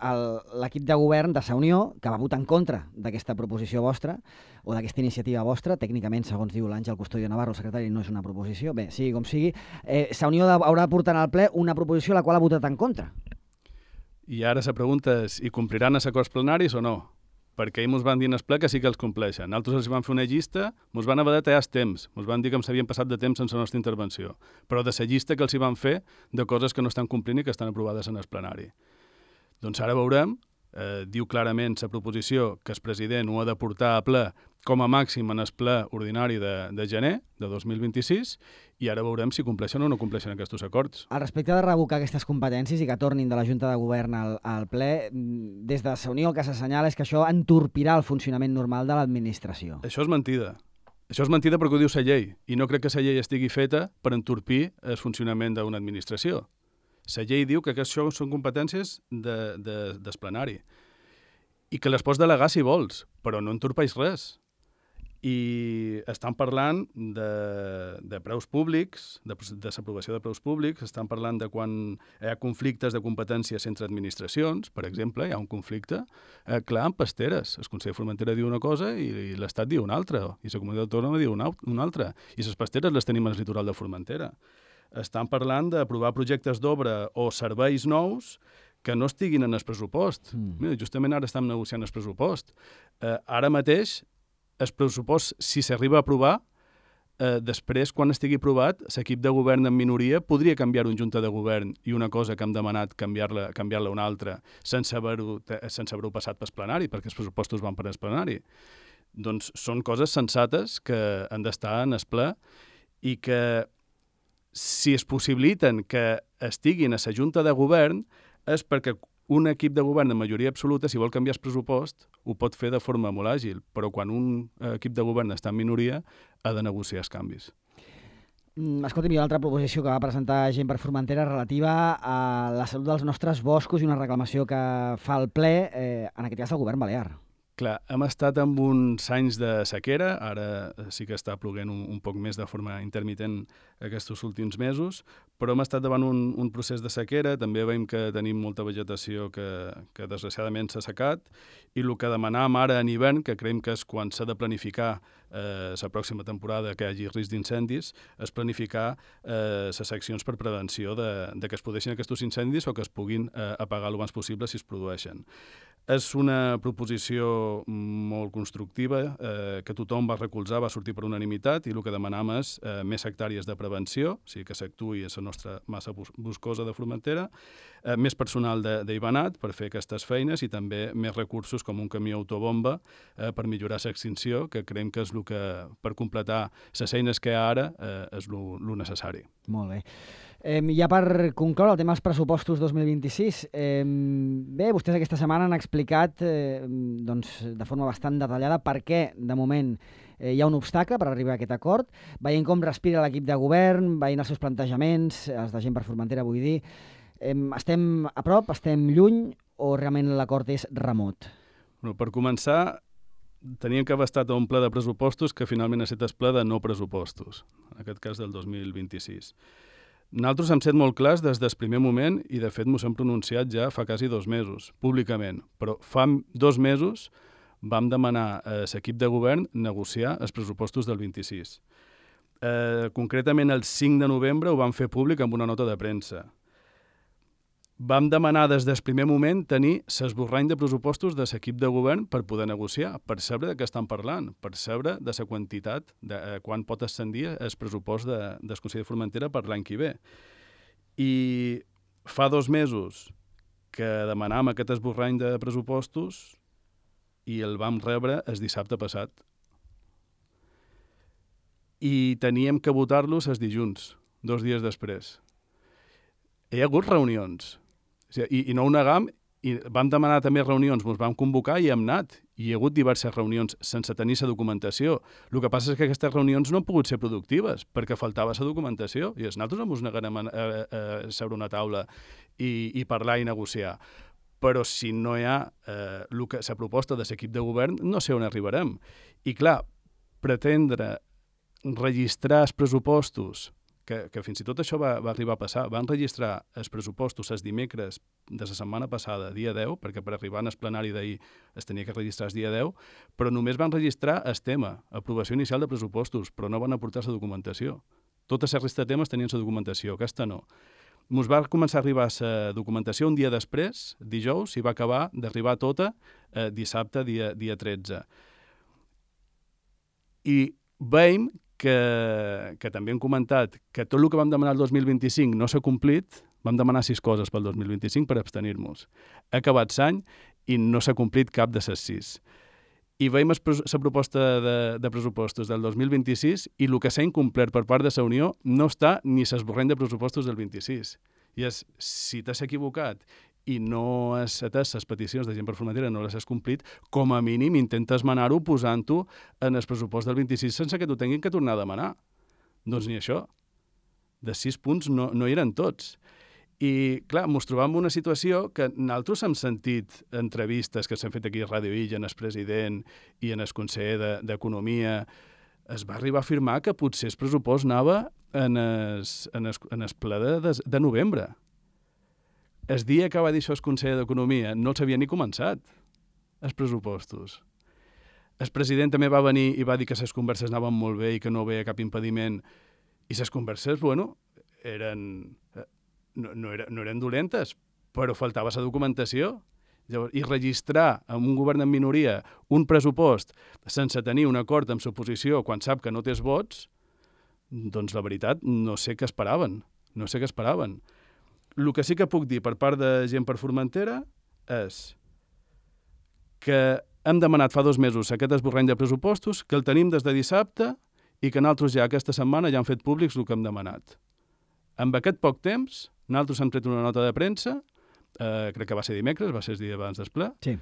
l'equip de govern de la Unió, que va votar en contra d'aquesta proposició vostra, o d'aquesta iniciativa vostra, tècnicament, segons diu l'Àngel Custodio Navarro, el secretari, no és una proposició, bé, sigui com sigui, eh, la Unió haurà de portar al ple una proposició a la qual ha votat en contra. I ara la pregunta és, i compliran els acords plenaris o no? Perquè ells ens van dir en el ple que sí que els compleixen. Nosaltres els van fer una llista, ens van haver de tallar els temps, ens van dir que ens havien passat de temps sense la nostra intervenció, però de la llista que els hi van fer de coses que no estan complint i que estan aprovades en el plenari. Doncs ara veurem, eh, diu clarament la proposició que el president ho ha de portar a ple com a màxim en el ple ordinari de, de gener de dos mil vint-i-sis, i ara veurem si compleixen o no compleixen aquests acords. Al respecte de revocar aquestes competències i que tornin de la Junta de Govern al, al ple, des de la Unió el que s'assenyala és que això entorpirà el funcionament normal de l'administració. Això és mentida. Això és mentida perquè ho diu la llei, i no crec que la llei estigui feta per entorpir el funcionament d'una administració. La llei diu que això són competències de, de, del plenari i que les pots delegar si vols, però no entorpeix res. I estan parlant de, de preus públics, de, de l'aprovació de preus públics, estan parlant de quan hi ha conflictes de competències entre administracions, per exemple, hi ha un conflicte eh, clar amb pasteres. El Consell de Formentera diu una cosa i, i l'Estat diu una altra, i la Comunitat Autònoma diu una, una altra, i les pasteres les tenim al litoral de Formentera. Estan parlant d'aprovar projectes d'obra o serveis nous que no estiguin en el pressupost. Mm. Mira, justament ara estem negociant el pressupost. Eh, ara mateix, el pressupost, si s'arriba a aprovar, eh, després, quan estigui aprovat, l'equip de govern en minoria podria canviar un junta de govern i una cosa que hem demanat canviar-la canviar-la una altra sense haver-ho sense haver-ho passat pel plenari, perquè els pressupostos van per el plenari. Doncs són coses sensates que han d'estar en el ple i que, si es possibiliten que estiguin a la junta de govern, és perquè un equip de govern de majoria absoluta, si vol canviar el pressupost, ho pot fer de forma molt àgil, però quan un equip de govern està en minoria, ha de negociar els canvis. Mm, escolta'm, hi ha una altra proposició que va presentar Gent per Formentera relativa a la salut dels nostres boscos i una reclamació que fa el ple, eh, en aquest cas el govern balear. Clar, hem estat amb uns anys de sequera, ara sí que està ploguent un, un poc més de forma intermitent aquests últims mesos, però hem estat davant un, un procés de sequera, també veiem que tenim molta vegetació que, que desgraciadament s'ha secat, i el que demanàvem ara en hivern, que creiem que és quan s'ha de planificar eh, la pròxima temporada que hi hagi risc d'incendis, és planificar eh, les accions per prevenció de, de que es produeixin aquests incendis o que es puguin eh, apagar el més possible si es produeixen. És una proposició molt constructiva, eh, que tothom va recolzar, va sortir per unanimitat, i el que demanam és eh, més hectàrees de prevenció, o sigui que s'actuï a la nostra massa boscosa de Formentera, eh, més personal d'Ivanat per fer aquestes feines i també més recursos com un camió autobomba eh, per millorar l'extinció, que creiem que és el que, per completar les eines que hi ha ara, eh, és el necessari. Molt bé. Eh, ja per concloure el tema dels pressupostos dos mil vint-i-sis, eh, bé, vostès aquesta setmana han explicat eh, doncs, de forma bastant detallada per què, de moment, eh, hi ha un obstacle per arribar a aquest acord, veient com respira l'equip de govern, veient els seus plantejaments, els de Gent per Formentera, vull dir, eh, estem a prop, estem lluny, o realment l'acord és remot? Bueno, per començar, teníem que haver estat a un ple de pressupostos que finalment ha estat el ple de no pressupostos, en aquest cas del dos mil vint-i-sis. Nosaltres hem set molt clars des del primer moment i, de fet, ens hem pronunciat ja fa quasi dos mesos, públicament. Però fa dos mesos vam demanar a l'equip de govern negociar els pressupostos del vint-i-sis. Eh, concretament, el cinc de novembre ho vam fer públic amb una nota de premsa. Vam demanar des del primer moment tenir l'esborrany de pressupostos de l'equip de govern per poder negociar, per saber de què estan parlant, per saber de la quantitat, de eh, quan pot ascendir el pressupost de, del Consell de Formentera per l'any que ve. I fa dos mesos que demanàvem aquest esborrany de pressupostos i el vam rebre el dissabte passat. I teníem que votar-los els dilluns, dos dies després. Hi ha hagut reunions. I, i no ho negam, i vam demanar també reunions, ens vam convocar i hem anat. I hi ha hagut diverses reunions sense tenir la documentació. El que passa és que aquestes reunions no han pogut ser productives perquè faltava la documentació i nosaltres no ens negarem a, a, a seure una taula i, i parlar i negociar. Però si no hi ha eh, la proposta de l'equip de govern, no sé on arribarem. I clar, pretendre registrar els pressupostos, que, que fins i tot això va, va arribar a passar, van registrar els pressupostos els dimecres de la setmana passada, dia deu, perquè per arribar en el plenari d'ahir es tenia que registrar el dia deu, però només van registrar el tema, aprovació inicial de pressupostos, però no van aportar la documentació. Tota la resta de temes tenien la documentació, aquesta no. Ens va començar a arribar la documentació un dia després, dijous, i va acabar d'arribar tota eh, dissabte, dia, dia tretze. I veiem que, que també hem comentat que tot el que vam demanar el dos mil vint-i-cinc no s'ha complit, vam demanar sis coses pel dos mil vint-i-cinc per abstenir-nos. Ha acabat l'any i no s'ha complit cap de les sis. I veiem la proposta de, de pressupostos del dos mil vint-i-sis i el que s'ha incomplert per part de la Unió no està ni l'esborrany de pressupostos del vint-i-sis. I és, si t'has equivocat i no has atès les peticions de Gent per Formentera, no les has complit, com a mínim intenta esmenar-ho posant-ho en el pressupost del vint-i-sis sense que t'ho tinguin que tornar a demanar. Doncs ni això. De sis punts no, no hi eren tots. I, clar, ens trobam en una situació que nosaltres hem sentit entrevistes que s'han fet aquí a Ràdio Illa, en el president i en el conseller d'Economia. Es va arribar a afirmar que potser el pressupost anava en el, en el, en el ple de, de, de novembre. El dia que va dir això el conseller d'Economia no els havia ni començat, els pressupostos. El president també va venir i va dir que les converses anaven molt bé i que no veia cap impediment. I les converses, bueno, eren... No, no, era, no eren dolentes, però faltava la documentació. Llavors, i registrar amb un govern en minoria un pressupost sense tenir un acord amb l'oposició quan sap que no té vots, doncs la veritat no sé què esperaven. No sé què esperaven. El que sí que puc dir per part de Gent per Formentera és que hem demanat fa dos mesos aquest esborrany de pressupostos, que el tenim des de dissabte i que nosaltres ja aquesta setmana ja hem fet públics el que hem demanat. Amb aquest poc temps, nosaltres hem tret una nota de premsa, eh, crec que va ser dimecres, va ser el dia abans del ple. Sí.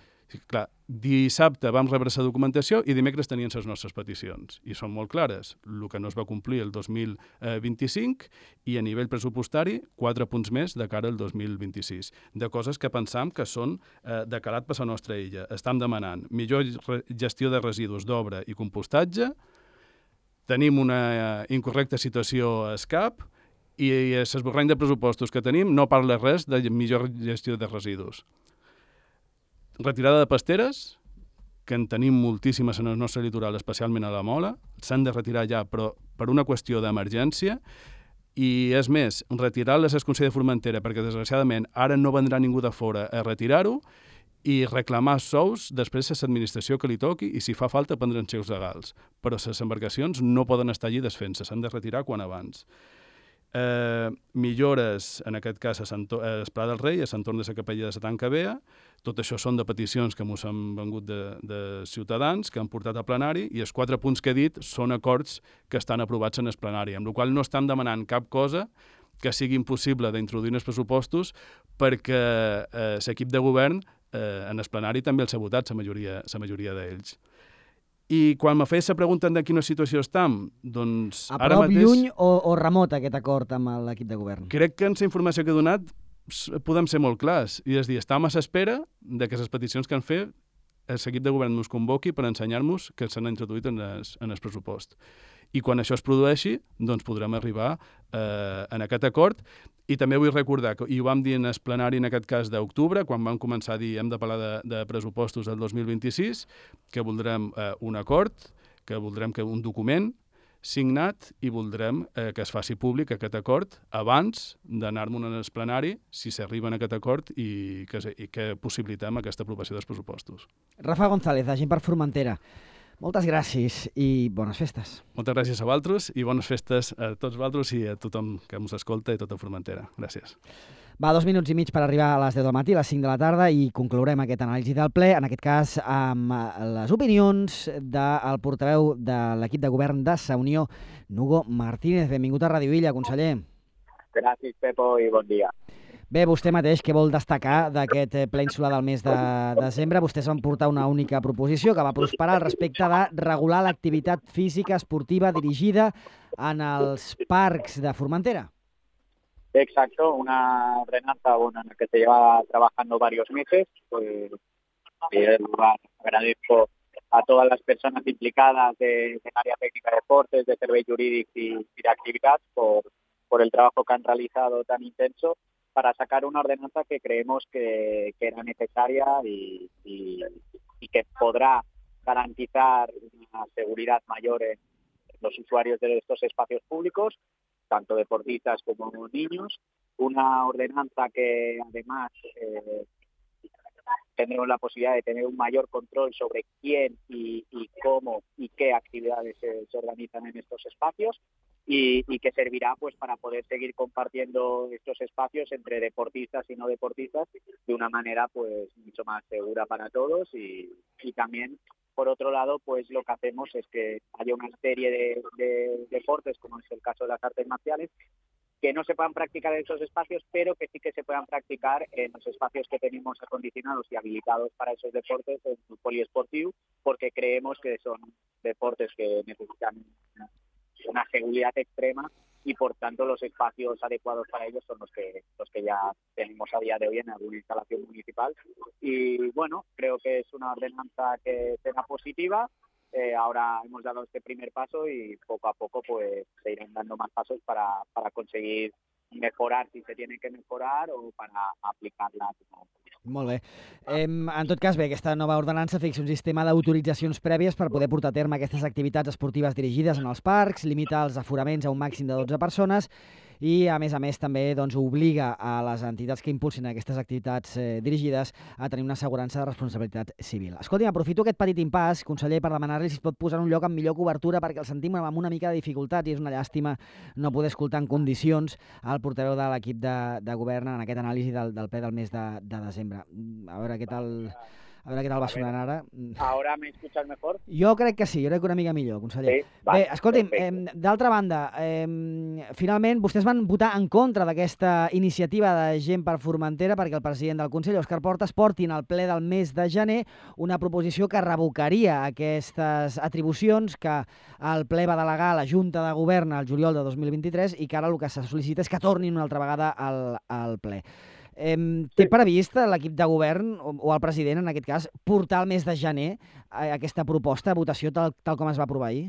Clar, dissabte vam rebre la documentació i dimecres tenien les nostres peticions. I són molt clares. El que no es va complir el dos mil vint-i-cinc i a nivell pressupostari quatre punts més de cara al dos mil vint-i-sis. De coses que pensam que són eh, de calat per la nostra illa. Estam demanant millor gestió de residus d'obra i compostatge, tenim una incorrecta situació a SCAP i l'esborrany de pressupostos que tenim no parla res de millor gestió de residus. Retirada de pasteres, que en tenim moltíssimes en el nostre litoral, especialment a la Mola, s'han de retirar ja, però per una qüestió d'emergència, i és més, retirar-les al Consell de Formentera, perquè desgraciadament ara no vendrà ningú de fora a retirar-ho, i reclamar sous després de l'administració que li toqui, i si fa falta prendre'n xecs legals. Però les embarcacions no poden estar allí desfent-se, s'han de retirar quan abans. Eh, millores, en aquest cas, a Esplà del Rei, a l'entorn de la capella de la Tanca Bea. Tot això són de peticions que ens han vengut de, de ciutadans, que han portat a plenari, i els quatre punts que he dit són acords que estan aprovats en el plenari, amb la qual no estan demanant cap cosa que sigui impossible d'introduir en els pressupostos perquè eh, l'equip de govern eh, en el plenari també els ha votat, la majoria, la majoria d'ells. I quan me feia la pregunta de quina situació estem, doncs... A ara prop, mateix, lluny o, o remot aquest acord amb l'equip de govern? Crec que en la informació que he donat podem ser molt clars. I és dir, estem a l'espera de que les peticions que han fet l'equip de govern ens convoqui per ensenyar-nos que s'han introduït en el, en el pressupost. I quan això es produeixi, doncs podrem arribar eh, en aquest acord. I també vull recordar, que, i ho vam dir en el plenari en aquest cas d'octubre, quan vam començar a dir hem de parlar de, de pressupostos del dos mil vint-i-sis, que voldrem eh, un acord, que voldrem que un document signat i voldrem eh, que es faci públic aquest acord abans d'anar-me'n en el plenari, si s'arriba en aquest acord i que, i que possibilitem aquesta aprovació dels pressupostos. Rafa González, agent per Formentera, moltes gràcies i bones festes. Moltes gràcies a vosaltres i bones festes a tots vosaltres i a tothom que ens escolta i a tota Formentera. Gràcies. Va, dos minuts i mig per arribar a les deu del matí, a les cinc de la tarda, i conclourem aquest anàlisi del ple, en aquest cas amb les opinions del portaveu de l'equip de govern de Sa Unió, Nugo Martínez. Benvingut a Ràdio Illa, conseller. Gràcies, Pepo, i bon dia. Bé, vostè mateix, què vol destacar d'aquest ple insular del mes de desembre? Vostès van portar una única proposició que va prosperar al respecte de regular l'activitat física esportiva dirigida en els parcs de Formentera. Exacto, una ordenanza bueno, en la que se lleva trabajando varios meses. Pues, en primer lugar, agradezco a todas las personas implicadas de, de área técnica de deportes, de serveis jurídics y, y de actividad por, por el trabajo que han realizado tan intenso para sacar una ordenanza que creemos que, que era necesaria y, y, y que podrá garantizar una seguridad mayor en los usuarios de estos espacios públicos, tanto deportistas como niños, una ordenanza que además eh, tendremos la posibilidad de tener un mayor control sobre quién y, y cómo y qué actividades se, se organizan en estos espacios y, y que servirá pues para poder seguir compartiendo estos espacios entre deportistas y no deportistas de una manera pues mucho más segura para todos y, y también por otro lado, pues lo que hacemos es que haya una serie de, de deportes, como es el caso de las artes marciales, que no se puedan practicar en esos espacios, pero que sí que se puedan practicar en los espacios que tenemos acondicionados y habilitados para esos deportes, en el poliesportivo, porque creemos que son deportes que necesitan una seguridad extrema y por tanto los espacios adecuados para ellos son los que los que ya tenemos a día de hoy en alguna instalación municipal. Y bueno, creo que es una ordenanza que será positiva. Eh, ahora hemos dado este primer paso y poco a poco pues se irán dando más pasos para, para conseguir mejorar si se tiene que mejorar o para aplicarla. Molt bé. Eh, en tot cas, bé, aquesta nova ordenança fixa un sistema d'autoritzacions prèvies per poder portar a terme aquestes activitats esportives dirigides en els parcs, limita els aforaments a un màxim de dotze persones i, a més a més, també doncs, obliga a les entitats que impulsin aquestes activitats eh, dirigides a tenir una assegurança de responsabilitat civil. Escolti'm, aprofito aquest petit impàs, conseller, per demanar-li si es pot posar en un lloc amb millor cobertura perquè el sentim amb una mica de dificultats i és una llàstima no poder escoltar en condicions el portaveu de l'equip de, de govern en aquest anàlisi del, del ple del mes de, de desembre. A veure què tal... A veure què tal va sonant ara. Ahora me escuchas mejor? Jo crec que sí, jo crec que una mica millor, conseller. Sí, va, bé, escolti'm, eh, d'altra banda, eh, finalment vostès van votar en contra d'aquesta iniciativa de Gent per Formentera perquè el president del Consell, Òscar Portas, portin al ple del mes de gener una proposició que revocaria aquestes atribucions que el ple va delegar a la Junta de Govern al juliol de dos mil vint-i-tres i que ara el que se sol·licita és que tornin una altra vegada al, al ple. Eh, té previst l'equip de govern o, o el president, en aquest cas, portar el mes de gener a aquesta proposta a votació tal, tal com es va aprovar ahir?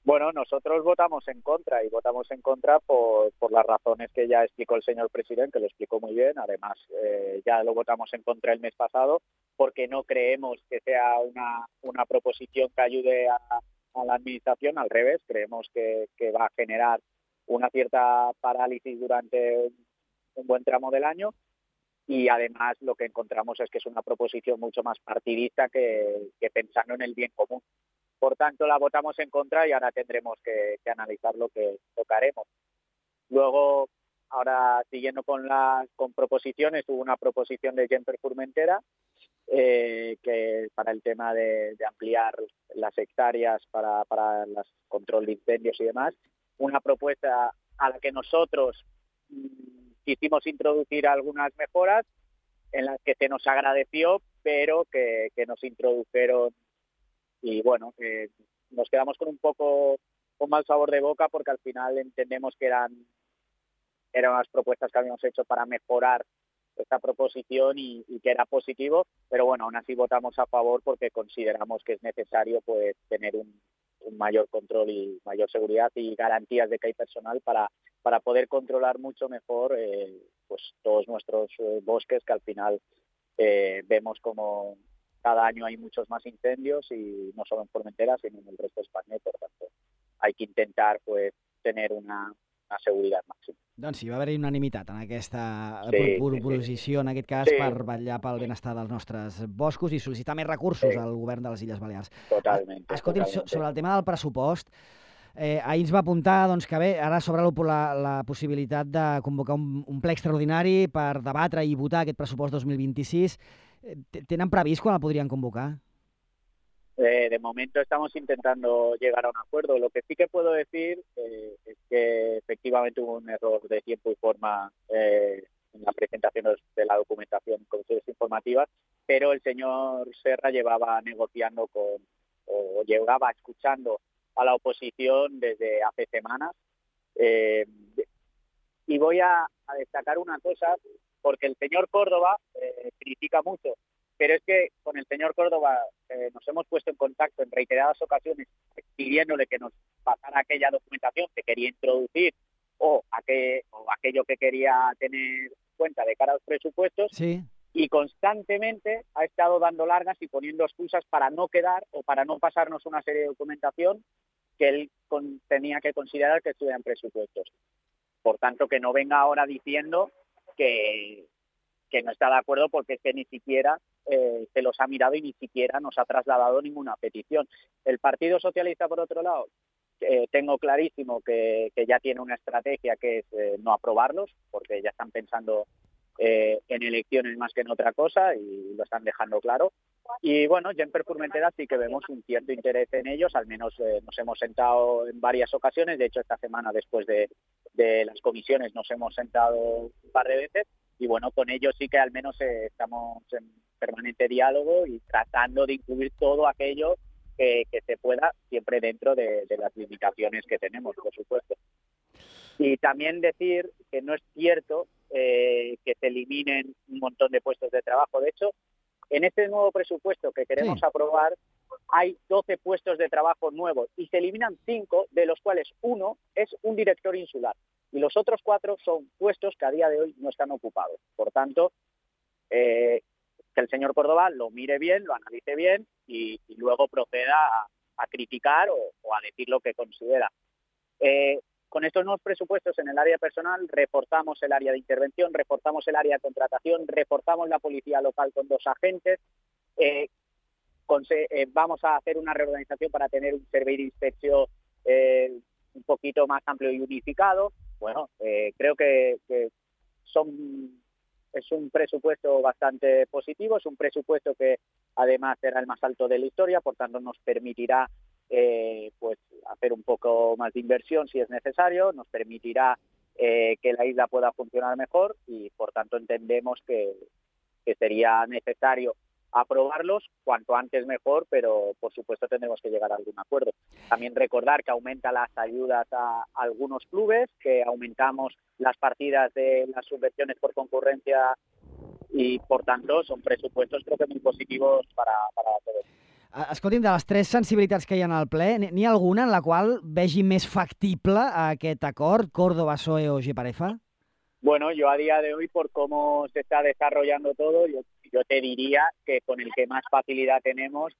Bueno, nosotros votamos en contra y votamos en contra por, por las razones que ya explicó el señor presidente, que lo explicó muy bien. Además, eh, ya lo votamos en contra el mes pasado porque no creemos que sea una, una proposición que ayude a, a la administración. Al revés, creemos que, que va a generar una cierta parálisis durante un, un buen tramo del año. Y además lo que encontramos es que es una proposición mucho más partidista que, que pensando en el bien común. Por tanto, la votamos en contra y ahora tendremos que, que analizar lo que, lo que haremos. Luego, ahora siguiendo con las con proposiciones, hubo una proposición de Gent per Formentera eh, que para el tema de, de ampliar las hectáreas para, para el control de incendios y demás. Una propuesta a la que nosotros quisimos introducir algunas mejoras en las que se nos agradeció, pero que, que nos introdujeron y bueno, eh, nos quedamos con un poco con mal sabor de boca porque al final entendemos que eran, eran unas propuestas que habíamos hecho para mejorar esta proposición y, y que era positivo, pero bueno, aún así votamos a favor porque consideramos que es necesario pues tener un, un mayor control y mayor seguridad y garantías de que hay personal para, para poder controlar mucho mejor eh, pues todos nuestros eh, bosques, que al final eh, vemos como cada año hay muchos más incendios y no solo en Formentera, sino en el resto de España, y por tanto hay que intentar pues tener una, una seguretat màxima. Doncs sí, va haver-hi unanimitat en aquesta Sí, proposició, en aquest cas, sí. per vetllar pel benestar dels nostres boscos i sol·licitar més recursos Sí. al govern de les Illes Balears. Totalment. Escolti'm, so- totalmente. sobre el tema del pressupost, eh, ahir ens va apuntar doncs, que bé, ara s'obre la, la possibilitat de convocar un, un ple extraordinari per debatre i votar aquest pressupost dos mil vint-i-sis. Eh, t- Tenen previst quan el podrien convocar? Eh, de momento estamos intentando llegar a un acuerdo. Lo que sí que puedo decir eh, es que efectivamente hubo un error de tiempo y forma eh, en la presentación de la documentación en comisiones informativas, pero el señor Serra llevaba negociando con, o llevaba escuchando a la oposición desde hace semanas. Eh, y voy a, a destacar una cosa, porque el señor Córdoba eh, critica mucho, pero es que con el señor Córdoba eh, nos hemos puesto en contacto en reiteradas ocasiones pidiéndole que nos pasara aquella documentación que quería introducir o, aquel, o aquello que quería tener en cuenta de cara a los presupuestos. Sí. Y constantemente ha estado dando largas y poniendo excusas para no quedar o para no pasarnos una serie de documentación que él con, tenía que considerar que estuviera en presupuestos. Por tanto, que no venga ahora diciendo que, que no está de acuerdo porque es que ni siquiera eh, se los ha mirado y ni siquiera nos ha trasladado ninguna petición. El Partido Socialista, por otro lado, eh, tengo clarísimo que, que ya tiene una estrategia que es eh, no aprobarlos, porque ya están pensando eh, en elecciones más que en otra cosa y lo están dejando claro. Y bueno, ya en Formentera sí que vemos un cierto interés en ellos, al menos eh, nos hemos sentado en varias ocasiones, de hecho esta semana después de, de las comisiones nos hemos sentado un par de veces y bueno, con ellos sí que al menos eh, estamos en permanente diálogo y tratando de incluir todo aquello que, que se pueda, siempre dentro de, de las limitaciones que tenemos, por supuesto. Y también decir que no es cierto eh, que se eliminen un montón de puestos de trabajo. De hecho, en este nuevo presupuesto que queremos Sí. aprobar hay doce puestos de trabajo nuevos y se eliminan cinco, de los cuales uno es un director insular y los otros cuatro son puestos que a día de hoy no están ocupados. Por tanto, eh, que el señor Córdoba lo mire bien, lo analice bien y, y luego proceda a, a criticar o, o a decir lo que considera. Eh, con estos nuevos presupuestos en el área personal reforzamos el área de intervención, reforzamos el área de contratación, reforzamos la policía local con dos agentes, eh, conse- eh, vamos a hacer una reorganización para tener un servicio de inspección eh, un poquito más amplio y unificado. Bueno, eh, creo que, que son, es un presupuesto bastante positivo, es un presupuesto que además será el más alto de la historia, por tanto nos permitirá eh, pues hacer un poco más de inversión si es necesario, nos permitirá eh, que la isla pueda funcionar mejor y por tanto entendemos que, que sería necesario aprobarlos cuanto antes mejor, pero por supuesto tendremos que llegar a algún acuerdo. También recordar que aumenta las ayudas a algunos clubes, que aumentamos las partidas de las subvenciones por concurrencia y por tanto son presupuestos creo que muy positivos para, para todos. Escolti'm, de les tres sensibilitats que hi ha al ple, n'hi ha alguna en la qual vegi més factible aquest acord, Córdoba, P S O E o Geparefa? Bueno, yo a día de hoy, por cómo se está desarrollando todo, yo, yo te diría que con el que más facilidad tenemos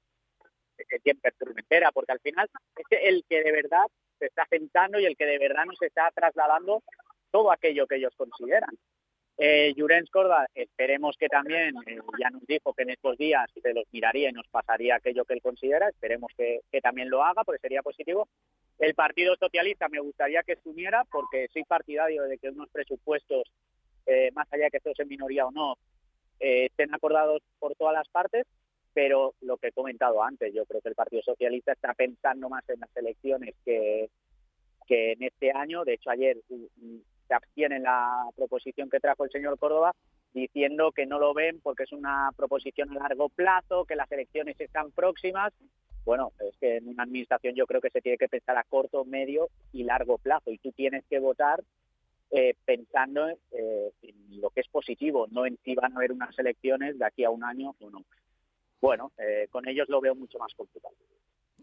es el Formentera, porque al final es el que de verdad se está sentando y el que de verdad nos está trasladando todo aquello que ellos consideran. Eh, Llorenç Córdoba, esperemos que también, eh, ya nos dijo que en estos días se los miraría y nos pasaría aquello que él considera, esperemos que, que también lo haga, porque sería positivo. El Partido Socialista me gustaría que se uniera, porque soy partidario de que unos presupuestos, eh, más allá de que estos en minoría o no, eh, estén acordados por todas las partes, pero lo que he comentado antes, yo creo que el Partido Socialista está pensando más en las elecciones que, que en este año. De hecho, ayer se abstiene en la proposición que trajo el señor Córdoba, diciendo que no lo ven porque es una proposición a largo plazo, que las elecciones están próximas. Bueno, es que en una administración yo creo que se tiene que pensar a corto, medio y largo plazo, y tú tienes que votar eh, pensando eh, en lo que es positivo, no en si van a haber unas elecciones de aquí a un año o no. Bueno, eh, con ellos lo veo mucho más complicado.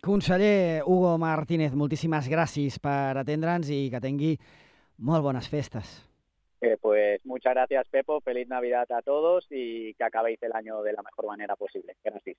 Conseller Hugo Martínez, moltíssimes gràcies per atendre'ns i que tingui molt bones festes. Eh, pues muchas gracias, Pepo. Feliz Navidad a todos y que acabéis el año de la mejor manera posible. Gracias.